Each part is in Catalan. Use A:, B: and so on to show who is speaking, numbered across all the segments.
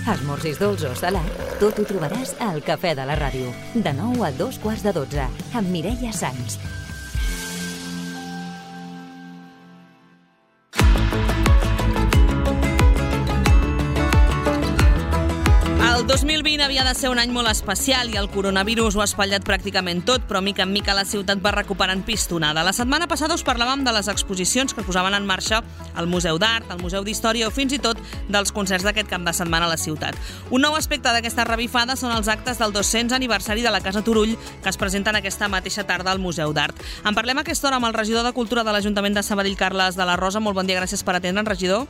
A: Esmorzis dolç o salat, tot ho trobaràs al Cafè de la Ràdio, de 9 a 2:15, amb Mireia Sans.
B: El 2020 havia de ser un any molt especial i el coronavirus ho ha espatllat pràcticament tot, però mica en mica la ciutat va recuperant pistonada. La setmana passada us parlàvem de les exposicions que es posaven en marxa al Museu d'Art, al Museu d'Història o fins i tot dels concerts d'aquest cap de setmana a la ciutat. Un nou aspecte d'aquesta revifada són els actes del 200 aniversari de la Casa Turull que es presenten aquesta mateixa tarda al Museu d'Art. En parlem a aquesta hora amb el regidor de Cultura de l'Ajuntament de Sabadell, Carles de la Rosa. Molt bon dia, gràcies per atendre'ns, regidor.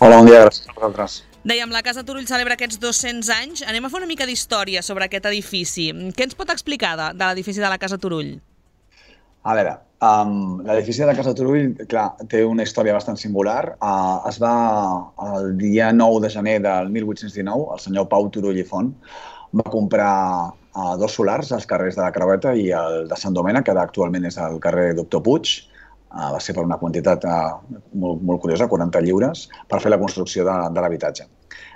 C: Hola, bon dia, gràcies a vosaltres.
B: Dèiem, la Casa Turull celebra aquests 200 anys. Anem a fer una mica d'història sobre aquest edifici. Què ens pot explicar de l'edifici de la Casa Turull?
C: A veure, l'edifici de la Casa Turull, clar, té una història bastant singular. Es va, el dia 9 de gener del 1819, el senyor Pau Turull i Font va comprar dos solars als carrers de la Creueta i el de Sant Domènec, que actualment és el carrer Doctor Puig. Va ser per una quantitat molt curiosa, 40 lliures, per fer la construcció de l'habitatge.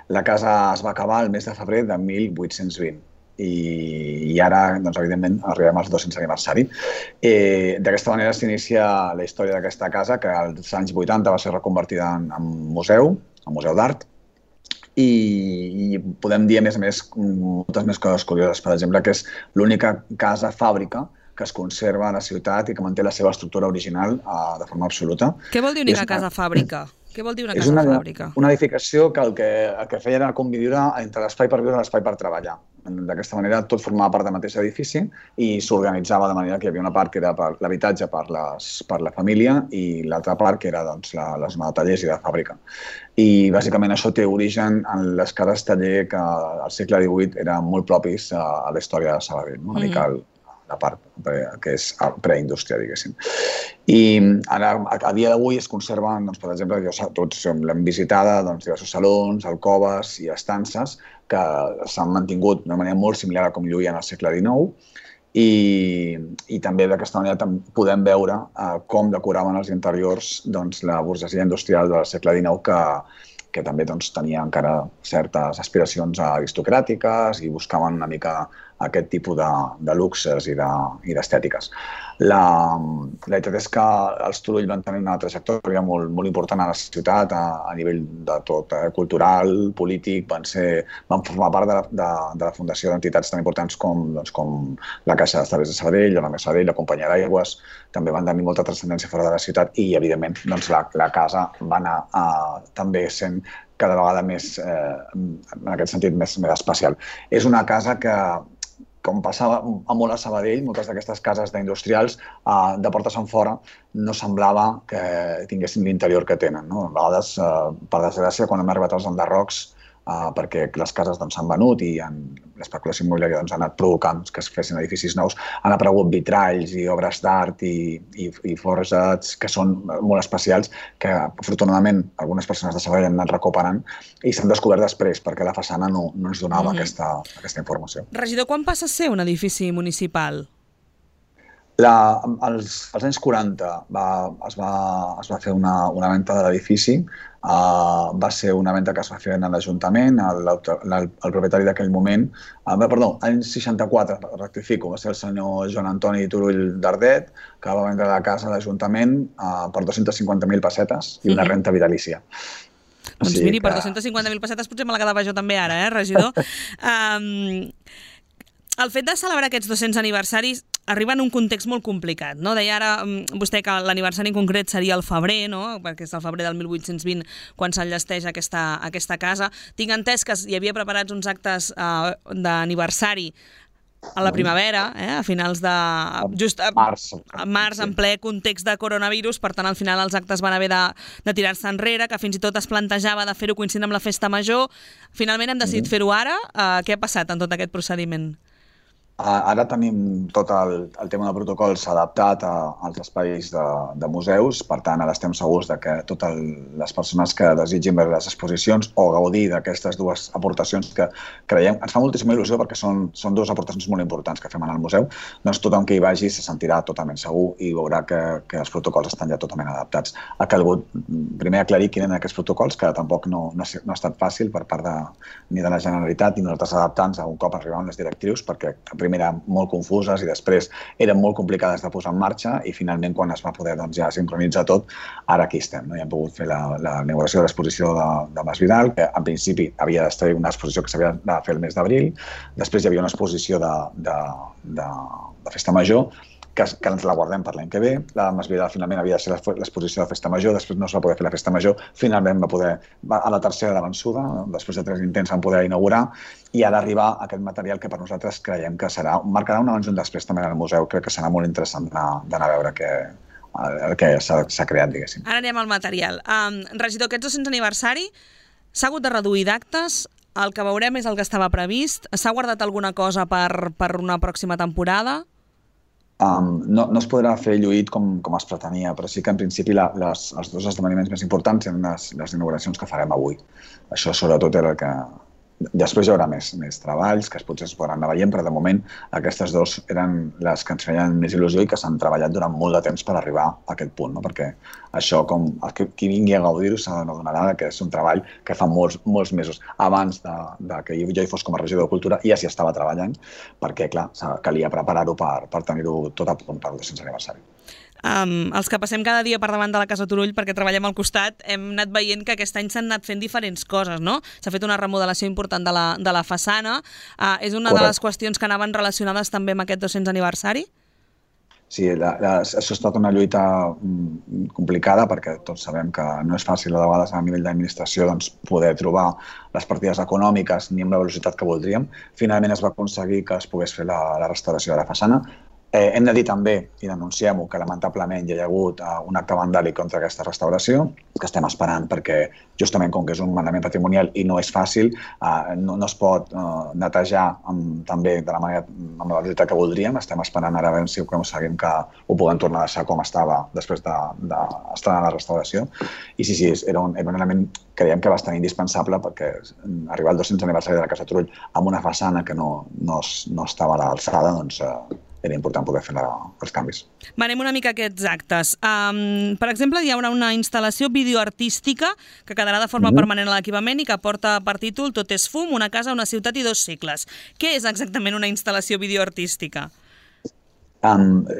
C: La casa es va acabar el mes de febrer de 1820 i ara, doncs, evidentment, arribem al 200 aniversari. D'aquesta manera s'inicia la història d'aquesta casa, que als anys 80 va ser reconvertida en museu, en museu d'art, i podem dir, a més, moltes més coses curioses. Per exemple, que és l'única casa-fàbrica que es conserva a la ciutat i que manté la seva estructura original de forma absoluta.
B: Què vol dir única casa-fàbrica? Què vol dir una casa-fàbrica?
C: És una edificació que el que feia era conviure entre l'espai per viure i l'espai per treballar. D'aquesta manera tot formava part del mateix edifici i s'organitzava de manera que hi havia una part que era per l'habitatge per la família i l'altra part que era la zona de tallers i de fàbrica. I bàsicament això té origen en les cases taller que al segle XVIII eren molt propis a la història de Sabadell, una mica la part que és preindústria, diguéssim. I ara, a dia d'avui es conserven, doncs, per exemple, tots l'hem visitada, diversos salons, alcoves i estances que s'han mantingut d'una manera molt similar a com lluïen al segle XIX i també d'aquesta manera podem veure com decoraven els interiors la burgesia industrial del segle XIX que també tenia encara certes aspiracions aristocràtiques i buscaven una mica aquest tipus de luxes i d'estètiques. La veritat és que els Turull van tenir una trajectòria molt important a la ciutat a nivell de tot, cultural, polític, van formar part de la fundació d'entitats tan importants com la Caixa d'Estalvis de Sabadell, la Mesa Sabadell, la Companyia d'Aigües, també van tenir molta transcendència fora de la ciutat i, evidentment, la casa va anar també sent cada vegada més, en aquest sentit, més especial. És una casa que, com passava molt a Sabadell, moltes d'aquestes cases d'industrials de portes enfora no semblava que tinguessin l'interior que tenen. A vegades, per desgràcia, quan hem arribat als enderrocs, perquè les cases s'han venut i l'especulació immobiliària ha anat provocant que es fessin edificis nous, han aparegut vitralls i obres d'art i forjats que són molt especials, que afortunadament algunes persones de Sabadell han anat recuperant i s'han descobert després perquè la façana no ens donava aquesta informació.
B: Regidor, quan passa a ser un edifici municipal?
C: Als anys 40 es va fer una venda de l'edifici. Va ser una venda que es va fer en l'Ajuntament. El propietari d'aquell moment, anys 64, rectifico, va ser el senyor Joan Antoni Turull d'Ardet, que va vendre la casa a l'Ajuntament per 250.000 pessetes i una renta vitalícia.
B: Doncs miri, per 250.000 pessetes potser me la quedava jo també ara, regidor? El fet de celebrar aquests 200 aniversaris arriba en un context molt complicat, no? Deia ara vostè que l'aniversari en concret seria el febrer, no? Perquè és el febrer del 1820 quan s'enllesteix aquesta casa. Tinc entès que hi havia preparats uns actes d'aniversari a la primavera, a finals de... just a març, en ple context de coronavirus, per tant, al final els actes van haver de tirar-se enrere, que fins i tot es plantejava de fer-ho coincidint amb la festa major. Finalment hem decidit fer-ho ara. Què ha passat en tot aquest procediment?
C: Ara tenim tot el tema de protocols adaptat als espais de museus, per tant, ara estem segurs que totes les persones que desitgin veure les exposicions o gaudir d'aquestes dues aportacions que creiem, ens fa moltíssima il·lusió perquè són dues aportacions molt importants que fem al museu, doncs tothom que hi vagi se sentirà totalment segur i veurà que els protocols estan ja totalment adaptats. Ha calgut primer aclarir quins eren aquests protocols, que tampoc no ha estat fàcil per part ni de la Generalitat ni nosaltres adaptar-nos a un cop arribaven les directrius, perquè eren molt confuses i després eren molt complicades de posar en marxa i finalment quan es va poder ja sincronitzar tot, ara aquí estem. Ja hem pogut fer la inauguració de l'exposició de Masvidal, que en principi havia d'estar una exposició que s'havia de fer el mes d'abril, després hi havia una exposició de Festa Major, que ens la guardem per l'any que ve. La Masvidal finalment havia de ser l'exposició de Festa Major, després no es va poder fer la Festa Major, finalment a la tercera de vençuda, després de 3 intents van poder inaugurar, i ha d'arribar aquest material que per nosaltres creiem que marcarà un abans i un després també al museu. Crec que serà molt interessant d'anar a veure el que s'ha creat, diguéssim.
B: Ara anem al material. Regidor, aquest 200 aniversari s'ha hagut de reduir d'actes, el que veurem és el que estava previst, s'ha guardat alguna cosa per una pròxima temporada?
C: No es podrà fer lluït com es pretenia, però sí que en principi els 2 esdeveniments més importants eren les inauguracions que farem avui. Això sobretot era el que... Després hi haurà més treballs que potser es podran anar veient, però de moment aquestes 2 eren les que ens feien més il·lusió i que s'han treballat durant molt de temps per arribar a aquest punt, no? Perquè això, qui vingui a gaudir-ho s'adonarà que és un treball que fa molts mesos abans que jo hi fos com a regidor de Cultura ja s'hi estava treballant, perquè clar, calia preparar-ho per tenir-ho tot a punt per el 200 aniversari.
B: Els que passem cada dia per davant de la Casa Turull perquè treballem al costat, hem anat veient que aquest any s'han anat fent diferents coses, no? S'ha fet una remodelació important de la façana. És una de les qüestions que anaven relacionades també amb aquest 200 aniversari?
C: Sí, això ha estat una lluita complicada perquè tots sabem que no és fàcil a vegades a nivell d'administració poder trobar les partides econòmiques ni amb la velocitat que voldríem. Finalment es va aconseguir que es pogués fer la restauració de la façana. Hem de dir també, i denunciem-ho, que lamentablement hi ha hagut un acte vandàlic contra aquesta restauració, que estem esperant perquè justament com que és un manament patrimonial i no és fàcil, no es pot netejar també de la manera amb la velocitat que voldríem. Estem esperant ara a veure si aconseguim que ho puguem tornar a deixar com estava després d'estar en la restauració. I sí, era un element que creiem que bastant indispensable perquè arribar al 200 aniversari de la Casa Turull amb una façana que no estava a l'alçada, doncs era important poder fer els canvis.
B: Anem una mica a aquests actes. Per exemple, hi haurà una instal·lació videoartística que quedarà de forma permanent a l'equipament i que porta per títol Tot és fum, una casa, una ciutat i 2 segles. Què és exactament una instal·lació videoartística?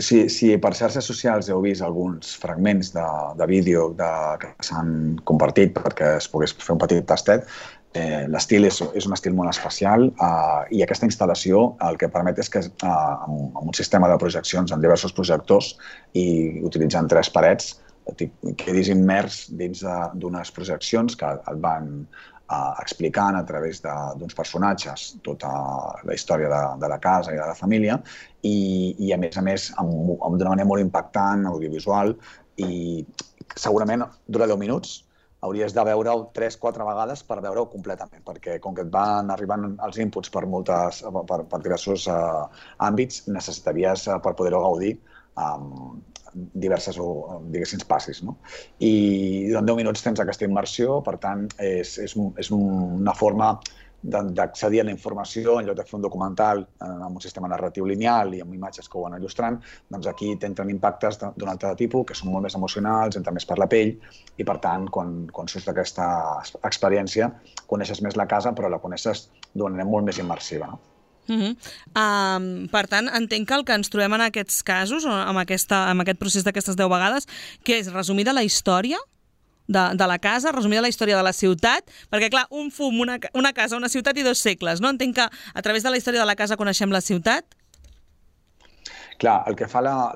C: Si per xarxes socials heu vist alguns fragments de vídeo que s'han compartit perquè es pogués fer un petit tastet, l'estil és un estil molt especial i aquesta instal·lació el que permet és que amb un sistema de projeccions amb diversos projectors i utilitzant 3 parets quedis immers dins d'unes projeccions que et van explicant a través d'uns personatges tota la història de la casa i de la família i a més d'una manera molt impactant, audiovisual i segurament dura 10 minuts. Hauries de veure-ho 3-4 vegades per veure-ho completament, perquè com que et van arribant els inputs per diversos àmbits, necessitaries, per poder-ho gaudir, diverses, diguéssim, passis. I durant 10 minuts tens aquesta immersió, per tant, és una forma d'accedir a la informació en lloc de fer un documental amb un sistema narratiu lineal i amb imatges que ho van il·lustrant, doncs aquí t'entren impactes d'un altre tipus que són molt més emocionals, entren més per la pell i per tant, quan surts d'aquesta experiència, coneixes més la casa però la coneixes d'una manera molt més immersiva.
B: Per tant, entenc que el que ens trobem en aquests casos, amb aquest procés d'aquestes 10 vegades, que és resumida la història de la casa, resumida la història de la ciutat, perquè clar, un fum, una casa, una ciutat i 2 segles, no? Entenc que a través de la història de la casa coneixem la ciutat?
C: Clar, el que fa la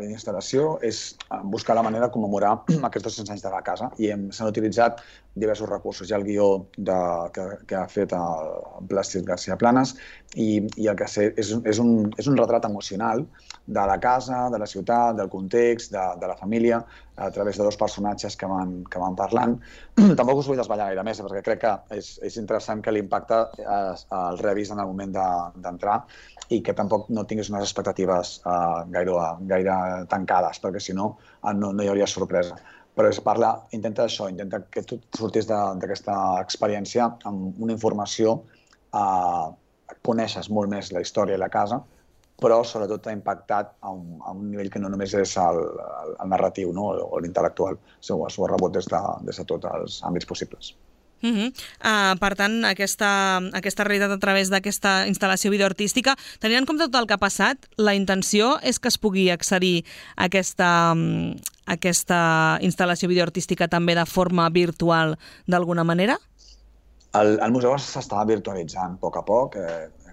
C: instal·lació és buscar la manera de commemorar aquests 200 anys de la casa i s'han utilitzat diversos recursos. Hi ha el guió que ha fet el Plàstic García Planas i el que és un retrat emocional de la casa, de la ciutat, del context, de la família, a través de dos personatges que van parlant. Tampoc us vull desvetllar gaire més, perquè crec que és interessant que l'impacte el revis en el moment d'entrar i que tampoc no tinguis unes expectatives gaire tancades, perquè si no hi hauria sorpresa. Però intenta que tu surtis d'aquesta experiència amb una informació, coneixes molt més la història i la casa, però sobretot t'ha impactat a un nivell que no només és el narratiu o l'intel·lectual, s'ho ha rebut des de tots els àmbits possibles.
B: Per tant, aquesta realitat a través d'aquesta instal·lació videoartística, tenint en compte tot el que ha passat, la intenció és que es pugui accedir a aquesta instal·lació videoartística també de forma virtual d'alguna manera?
C: El museu s'està virtualitzant a poc.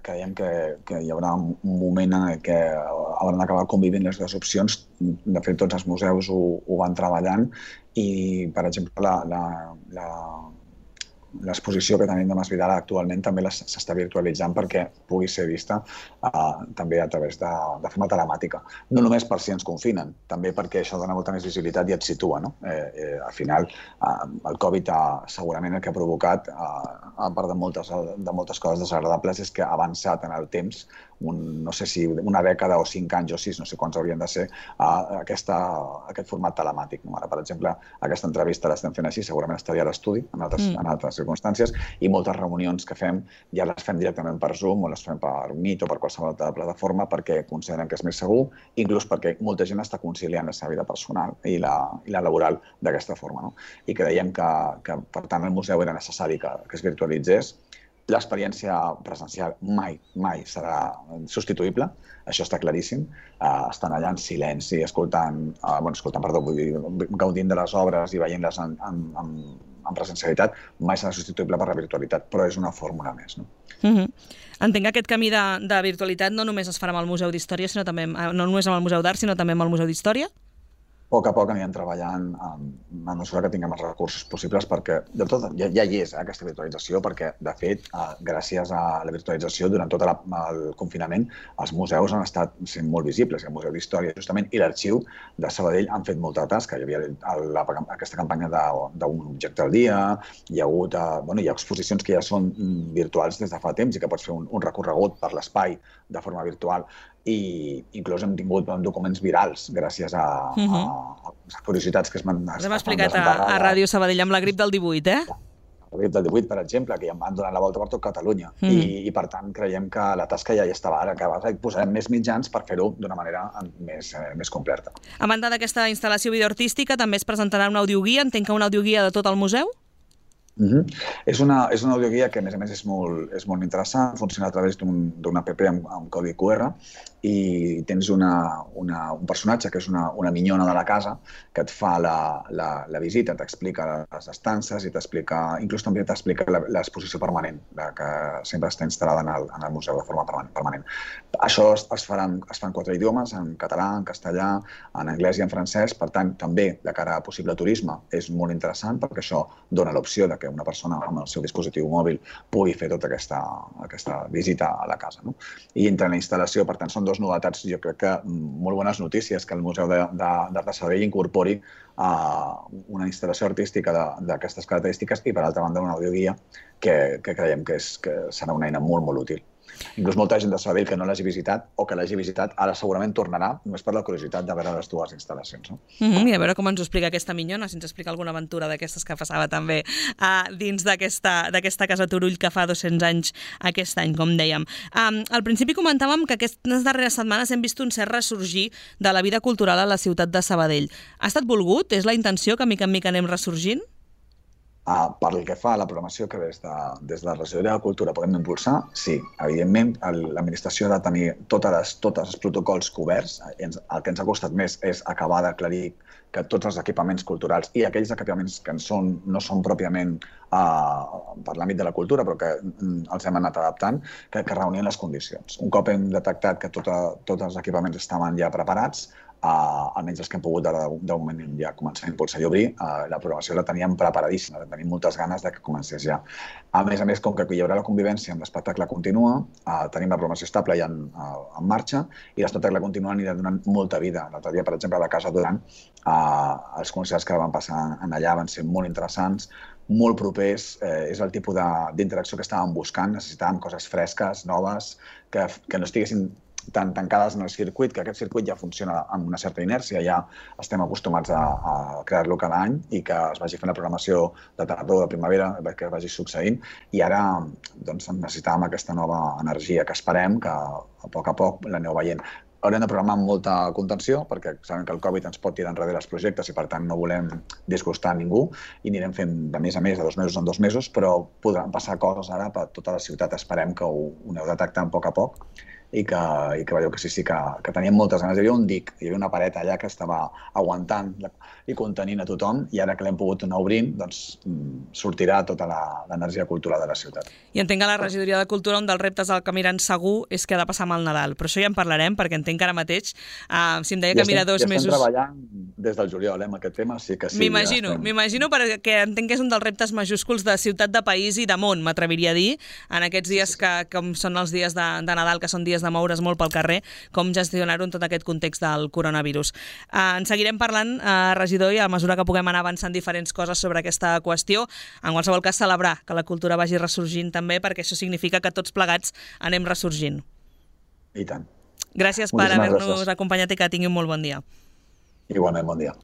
C: Creiem que hi haurà un moment en què hauran d'acabar convivint les dues opcions. De fet, tots els museus ho van treballant i, per exemple, l'exposició que tenim de Masvidal actualment també s'està virtualitzant perquè pugui ser vista també a través de forma telemàtica. No només per si ens confinen, també perquè això dona molta més visibilitat i et situa. Al final, el Covid segurament el que ha provocat, a part de moltes coses desagradables, és que ha avançat en el temps, no sé si una dècada o 5 anys o 6, no sé quants haurien de ser, aquest format telemàtic. Ara, per exemple, aquesta entrevista l'estem fent així, segurament estaria a l'estudi, en altres circumstàncies, i moltes reunions que fem ja les fem directament per Zoom o les fem per Meet o per qualsevol altra plataforma perquè consideren que és més segur, inclús perquè molta gent està conciliant la seva vida personal i la laboral d'aquesta forma. I creiem que, per tant, el museu era necessari que es virtualitzés. L'experiència presencial mai serà substituïble, això està claríssim. Estan allà en silenci, gaudint de les obres i veient-les en presencialitat, mai serà substituïble per la virtualitat, però és una fórmula més.
B: Entenc que aquest camí de virtualitat no només es farà amb el Museu d'Història, no només amb el Museu d'Art, sinó també amb el Museu d'Història?
C: A poc anirem treballant a mesura que tinguem els recursos possibles perquè ja hi és aquesta virtualització perquè, de fet, gràcies a la virtualització durant tot el confinament els museus han estat sent molt visibles. El Museu d'Història justament i l'Arxiu de Sabadell han fet molta tasca. Hi havia aquesta campanya d'un objecte al dia, hi ha exposicions que ja són virtuals des de fa temps i que pots fer un recorregut per l'espai de forma virtual i inclús hem tingut documents virals gràcies a les curiositats que es van...
B: Us hem explicat a Ràdio Sabadell amb la grip del 18,
C: La grip del 18, per exemple, que ja van donar la volta per tot Catalunya. I, per tant, creiem que la tasca ja hi estava. Ara que posarem més mitjans per fer-ho d'una manera més completa.
B: A banda d'aquesta instal·lació videoartística, també es presentarà un audioguia. Entenc que una audioguia de tot el museu?
C: És una audioguia que, a més és molt interessant, funciona a través d'un app amb codi QR i tens un personatge que és una minyona de la casa que et fa la visita, t'explica les estances i inclús també t'explica l'exposició permanent que sempre està instal·lada en el museu de forma permanent. Això es fa en 4 idiomes, en català, en castellà, en anglès i en francès, per tant, també de cara a possible turisme és molt interessant perquè això dona l'opció que una persona amb el seu dispositiu mòbil pugui fer tota aquesta visita a la casa. I entre la instal·lació, per tant, són dues novetats, jo crec que molt bones notícies, que el Museu d'Art de Sabadell incorpori una instal·lació artística d'aquestes característiques i, per altra banda, una audioguia que creiem que serà una eina molt útil. Inclús molta gent de Sabadell que no l'hagi visitat o que l'hagi visitat ara segurament tornarà només per la curiositat de veure les dues instal·lacions.
B: I a veure com ens ho explica aquesta minyona, si ens explica alguna aventura d'aquestes que passava també dins d'aquesta Casa Turull que fa 200 anys aquest any, com dèiem. Al principi comentàvem que aquestes darreres setmanes hem vist un cert ressorgir de la vida cultural a la ciutat de Sabadell. Ha estat volgut? És la intenció que mica en mica anem ressorgint?
C: Pel que fa a la programació que des de la Regidoria de Cultura podem impulsar, sí. Evidentment, l'administració ha de tenir tots els protocols coberts. El que ens ha costat més és acabar d'aclarir que tots els equipaments culturals i aquells equipaments que no són pròpiament per l'àmbit de la cultura, però que els hem anat adaptant, que reunien les condicions. Un cop hem detectat que tots els equipaments estaven ja preparats, almenys els que hem pogut de moment ja començar a impulsar i obrir, la programació la teníem preparadíssima, tenim moltes ganes de que comencés ja. A més, com que hi haurà la convivència amb l'espectacle continua, tenim la programació estable ja en marxa i l'espectacle continua anirà donant molta vida. L'altre dia, per exemple, a la Casa Duran, els concerts que van passar allà van ser molt interessants, molt propers, és el tipus d'interacció que estàvem buscant, necessitàvem coses fresques, noves, que no estiguessin tan tancades en el circuit, que aquest circuit ja funciona amb una certa inèrcia, ja estem acostumats a crear-lo cada any i que es vagi fent la programació de tardor, de primavera, que vagi succeint, i ara necessitàvem aquesta nova energia que esperem que a poc l'aneu veient. Haurem de programar amb molta contenció perquè sabem que el Covid ens pot tirar enrere els projectes i per tant no volem disgustar a ningú i anirem fent de mes a mes, de 2 mesos en 2 mesos, però podran passar coses ara per tota la ciutat. Esperem que ho aneu detectant a poc i que veieu que sí, que teníem moltes ganes. Hi havia un dic, hi havia una paret allà que estava aguantant i contenint a tothom i ara que l'hem pogut anar obrint, doncs sortirà tota l'energia cultural de la ciutat.
B: I entenc que la regidoria de Cultura, un dels reptes al que miren segur és què ha de passar amb el Nadal, però això ja en parlarem perquè entenc que ara mateix, si em deia que mira 2 mesos...
C: Ja estem treballant des del juliol amb aquest tema, sí que sí.
B: M'imagino perquè entenc que és un dels reptes majúsculs de ciutat, de país i de món, m'atreviria a dir, en aquests dies que com són els dies de Nadal, que són dies de moure's molt pel carrer, com gestionar-ho en tot aquest context del coronavirus. En seguirem parlant, regidor, i a mesura que puguem anar avançant diferents coses sobre aquesta qüestió. En qualsevol cas, celebrar que la cultura vagi ressorgint també, perquè això significa que tots plegats anem ressorgint.
C: I tant.
B: Gràcies per haver-nos acompanyat i que tingui un molt bon dia.
C: Igualment, bon dia.